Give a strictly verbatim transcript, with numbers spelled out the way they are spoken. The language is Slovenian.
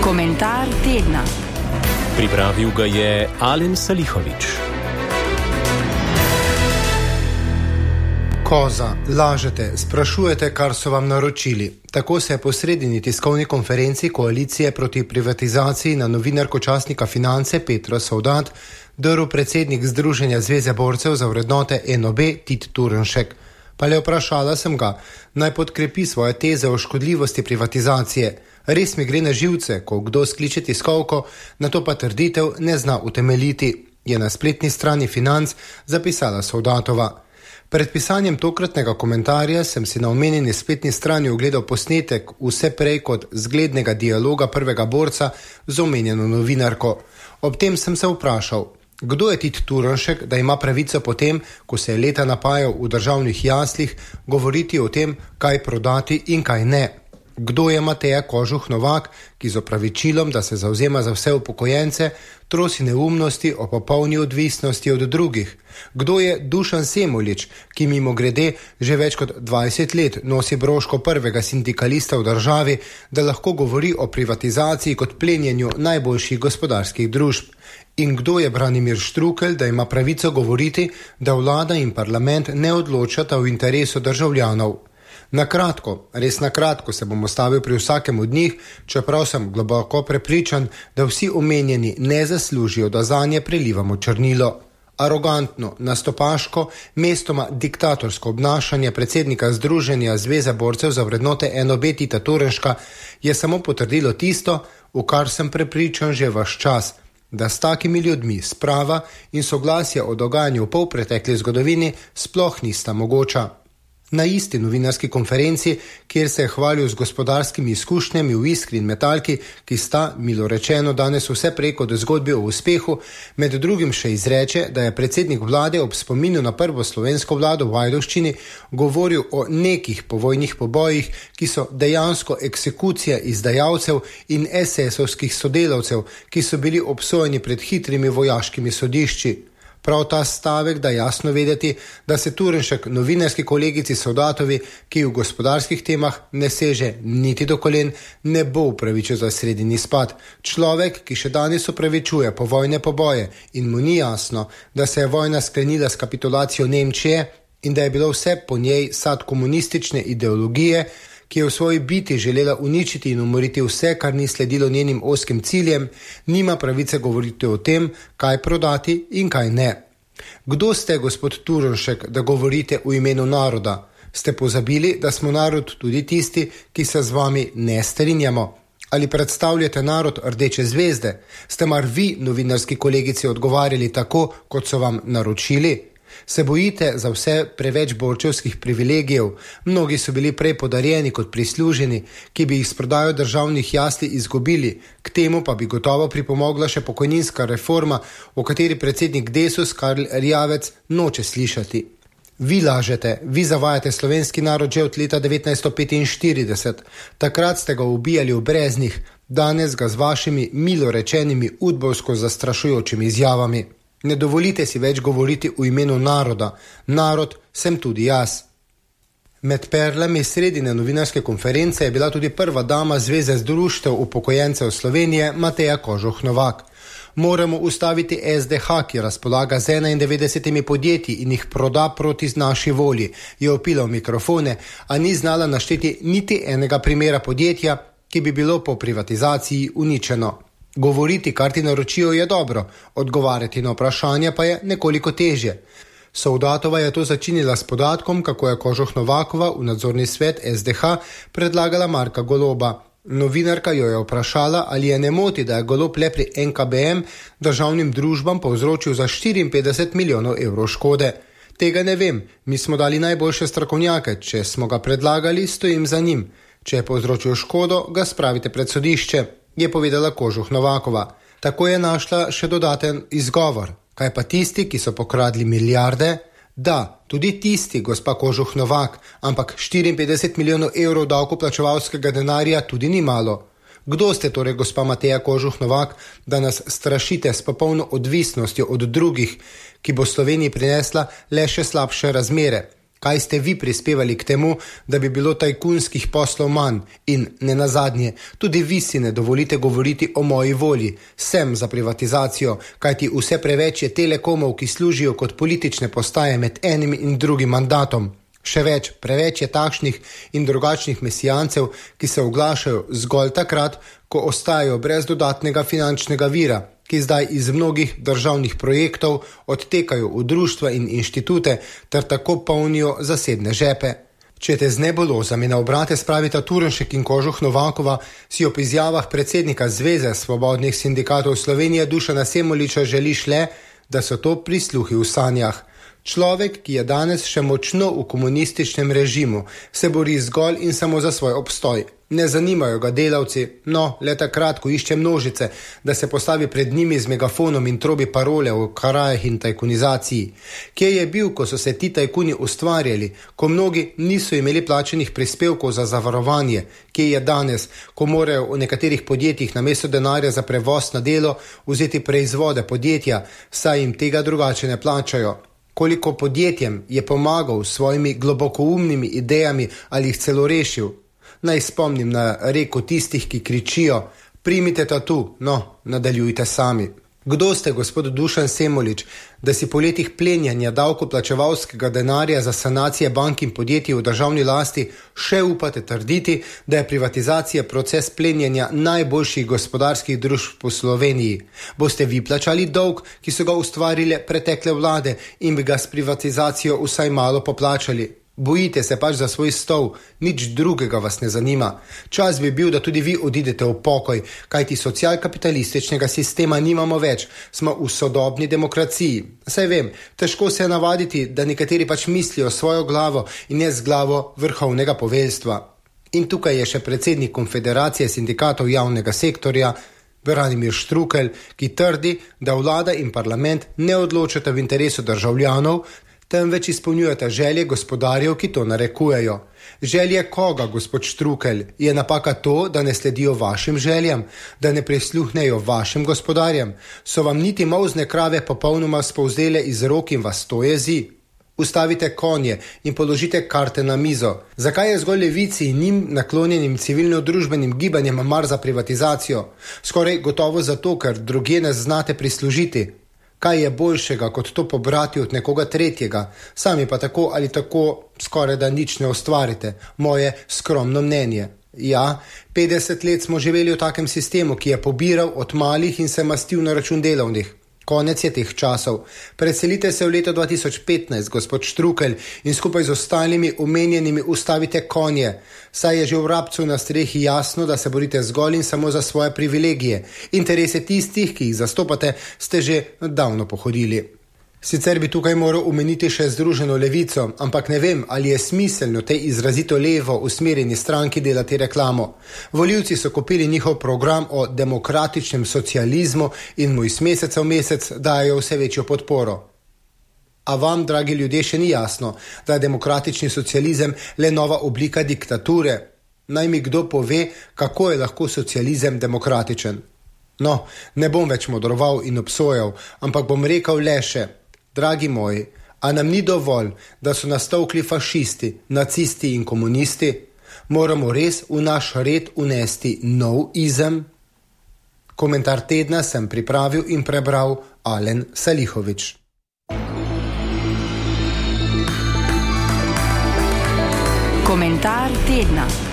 Komentar tedna. Pripravil ga je Alen Salihović. Koza, lažete, sprašujete, kar so vam naročili. Tako se je po sredini tiskovni konferenci koalicije proti privatizaciji na novinarko časnika Finance Petro Sovdat drl predsednik Združenja Zveze borcev za vrednote N O B Tit Turnšek. Pa le vprašala sem ga, naj podkrepi svoje teze o škodljivosti privatizacije. Res mi gre na živce, ko kdo skliče tiskovko, na to pa trditev ne zna utemeljiti, je na spletni strani Financ zapisala Sovdatova. Pred pisanjem tokratnega komentarja sem si na omenjeni spletni strani ogledal posnetek vse prej kot zglednega dialoga prvega borca z omenjeno novinarko. Ob tem sem se vprašal, kdo je Tit Turnšek, da ima pravico potem, ko se je leta napajal v državnih jaslih, govoriti o tem, kaj prodati in kaj ne. Kdo je Mateja Kožuh Novak, ki z opravičilom, da se zavzema za vse upokojence, trosi neumnosti o popolni odvisnosti od drugih? Kdo je Dušan Semolič, ki mimo grede že več kot dvajset let nosi broško prvega sindikalista v državi, da lahko govori o privatizaciji kot plenjenju najboljših gospodarskih družb? In kdo je Branimir Štrukelj, da ima pravico govoriti, da vlada in parlament ne odločata v interesu državljanov? Na kratko, res na kratko se bom ostavil pri vsakem od njih, čeprav sem globoko prepričan, da vsi omenjeni ne zaslužijo, da zanje prelivamo črnilo. Arogantno, nastopaško, mestoma diktatorsko obnašanje predsednika Združenja Zveze borcev za vrednote N O B Tita Turnška je samo potrdilo tisto, v kar sem prepričan že vaš čas, da s takimi ljudmi sprava in soglasje o dogajanju v polpretekli zgodovini sploh nista mogoča. Na isti novinarski konferenci, kjer se je hvalil z gospodarskimi izkušnjami v Iskri in Metalki, ki sta, milo rečeno, danes vse preko do zgodbe o uspehu, med drugim še izreče, da je predsednik vlade ob spominu na prvo slovensko vlado v Ajdovščini govoril o nekih povojnih pobojih, ki so dejansko eksekucija izdajalcev in esesovskih sodelavcev, ki so bili obsojeni pred hitrimi vojaškimi sodišči. Prav ta stavek da jasno vedeti, da se Turnšek novinarski kolegici Sovdatovi, ki v gospodarskih temah ne seže niti do kolen, ne bo upravičil za sredini spad. Človek, ki še danes upravičuje povojne poboje in mu ni jasno, da se je vojna sklenila s kapitulacijo Nemčije in da je bilo vse po njej sad komunistične ideologije, ki je v svoji biti želela uničiti in umoriti vse, kar ni sledilo njenim ozkim ciljem, nima pravice govoriti o tem, kaj prodati in kaj ne. Kdo ste, gospod Turnšek, da govorite v imenu naroda? Ste pozabili, da smo narod tudi tisti, ki se z vami ne strinjamo? Ali predstavljate narod Rdeče zvezde? Ste mar vi, novinarski kolegici, odgovarjali tako, kot so vam naročili? Se bojite za vse preveč borčevskih privilegijev? Mnogi so bili prej podarjeni kot prisluženi, ki bi jih s prodajo državnih jasli izgubili. K temu pa bi gotovo pripomogla še pokojninska reforma, o kateri predsednik Desus Karl Erjavec noče slišati. Vi lažete, vi zavajate slovenski narod že od leta devetnajststo petinštirideset. Takrat ste ga ubijali v Breznih, danes ga z vašimi milo rečenimi udbovsko zastrašujočimi izjavami. Ne dovolite si več govoriti v imenu naroda. Narod sem tudi jaz. Med perlami sredine novinarske konference je bila tudi prva dama Zveze zdruštev upokojencev Slovenije Mateja Kožuh Novak. Moramo ustaviti S D H, ki razpolaga z enaindevetdesetimi podjetji in jih proda proti naši volji, je opila v mikrofone, a ni znala našteti niti enega primera podjetja, ki bi bilo po privatizaciji uničeno. Govoriti, kar ti naročijo, je dobro, odgovarjati na vprašanja pa je nekoliko težje. Sovdatova je to začinila s podatkom, kako je Kožuh Novakova v nadzorni svet S D H predlagala Marka Goloba. Novinarka jo je vprašala, ali je ne moti, da je Golob le pri N K B M državnim družbam povzročil za štiriinpetdeset milijonov evrov škode. Tega ne vem, mi smo dali najboljše strokovnjake, če smo ga predlagali, stojim za njim. Če je povzročil škodo, ga spravite pred sodišče, je povedala Kožuh Novakova. Tako je našla še dodaten izgovor. Kaj pa tisti, ki so pokradli milijarde? Da, tudi tisti, gospa Kožuh Novak, ampak štiriinpetdeset milijonov evrov davkoplačevalskega denarja tudi ni malo. Kdo ste torej, gospa Mateja Kožuh Novak, da nas strašite s popolno odvisnostjo od drugih, ki bo Sloveniji prinesla le še slabše razmere? Kaj ste vi prispevali k temu, da bi bilo tajkunskih poslov manj? In ne nazadnje, tudi vi si ne dovolite govoriti o moji volji. Sem za privatizacijo, kajti vse preveč je telekomov, ki služijo kot politične postaje med enim in drugim mandatom. Še več, preveč je takšnih in drugačnih mesijancev, ki se oglašajo zgolj takrat, ko ostajajo brez dodatnega finančnega vira, ki zdaj iz mnogih državnih projektov odtekajo v društva in inštitute ter tako polnijo zasebne žepe. Če te z nebulozami na obrate spravita Turnšek in Kožuh Novakova, si ob izjavah predsednika Zveze svobodnih sindikatov Slovenije Dušana Semoliča želiš le, da so to prisluhi v sanjah. Človek, ki je danes še močno v komunističnem režimu, se bori zgolj in samo za svoj obstoj. Ne zanimajo ga delavci, no, le takrat, ko išče množice, da se postavi pred njimi z megafonom in trobi parole o karajah in tajkunizaciji. Kje je bil, ko so se ti tajkuni ustvarjali, ko mnogi niso imeli plačenih prispevkov za zavarovanje? Kje je danes, ko morajo v nekaterih podjetjih namesto denarja za prevoz na delo vzeti proizvode podjetja, saj jim tega drugače ne plačajo? Koliko podjetjem je pomagal s svojimi globokoumnimi idejami ali jih celo rešil? Naj spomnim na reko tistih, ki kričijo, primite tatu, no, nadaljujte sami. Kdo ste, gospod Dušan Semolič, da si po letih plenjanja davkoplačevalskega denarja za sanacije bank in podjetij v državni lasti še upate trditi, da je privatizacija proces plenjanja najboljših gospodarskih družb po Sloveniji? Boste vi plačali dolg, ki so ga ustvarile pretekle vlade in bi ga s privatizacijo vsaj malo poplačali? Bojite se pač za svoj stol, nič drugega vas ne zanima. Čas bi bil, da tudi vi odidete v pokoj, kajti socialkapitalističnega sistema nimamo več, smo v sodobni demokraciji. Saj vem, težko se je navaditi, da nekateri pač mislijo svojo glavo in ne z glavo vrhovnega poveljstva. In tukaj je še predsednik Konfederacije sindikatov javnega sektorja, Branimir Štrukelj, ki trdi, da vlada in parlament ne odločata v interesu državljanov, temveč izpolnjujete želje gospodarjev, ki to narekujejo. Želje koga, gospod Štrukelj? Je napaka to, da ne sledijo vašim željam, da ne prisluhnejo vašim gospodarjem? So vam niti molzne krave popolnoma spolzele iz rok in vas to jezi? Ustavite konje in položite karte na mizo. Zakaj je zgolj levici in njim naklonjenim civilno-družbenim gibanjem mar za privatizacijo? Skoraj gotovo zato, ker drugje ne znate prislužiti. Kaj je boljšega, kot to pobrati od nekoga tretjega? Sami pa tako ali tako skoraj da nič ne ustvarite. Moje skromno mnenje. Ja, petdeset let smo živeli v takem sistemu, ki je pobiral od malih in se mastil na račun delovnih. Konec je teh časov. Preselite se v leto dva tisoč petnajst, gospod Štrukelj, in skupaj z ostalimi omenjenimi ustavite konje. Saj je že v Rabcu na strehi jasno, da se borite zgolj in samo za svoje privilegije. Interese tistih, ki jih zastopate, ste že davno pohodili. Sicer bi tukaj moral omeniti še Združeno levico, ampak ne vem, ali je smiselno tej izrazito levo usmerjeni stranki delati reklamo. Volivci so kupili njihov program o demokratičnem socializmu in mu iz meseca v mesec dajo vse večjo podporo. A vam, dragi ljudje, še ni jasno, da je demokratični socializem le nova oblika diktature? Naj mi kdo pove, kako je lahko socializem demokratičen? No, ne bom več modroval in obsojal, ampak bom rekel le še, dragi moji, a nam ni dovolj, da so nastavkli fašisti, nacisti in komunisti? Moramo res v naš red unesti nov izem? Komentar tedna sem pripravil in prebral Alen Salihovič. Komentar tedna.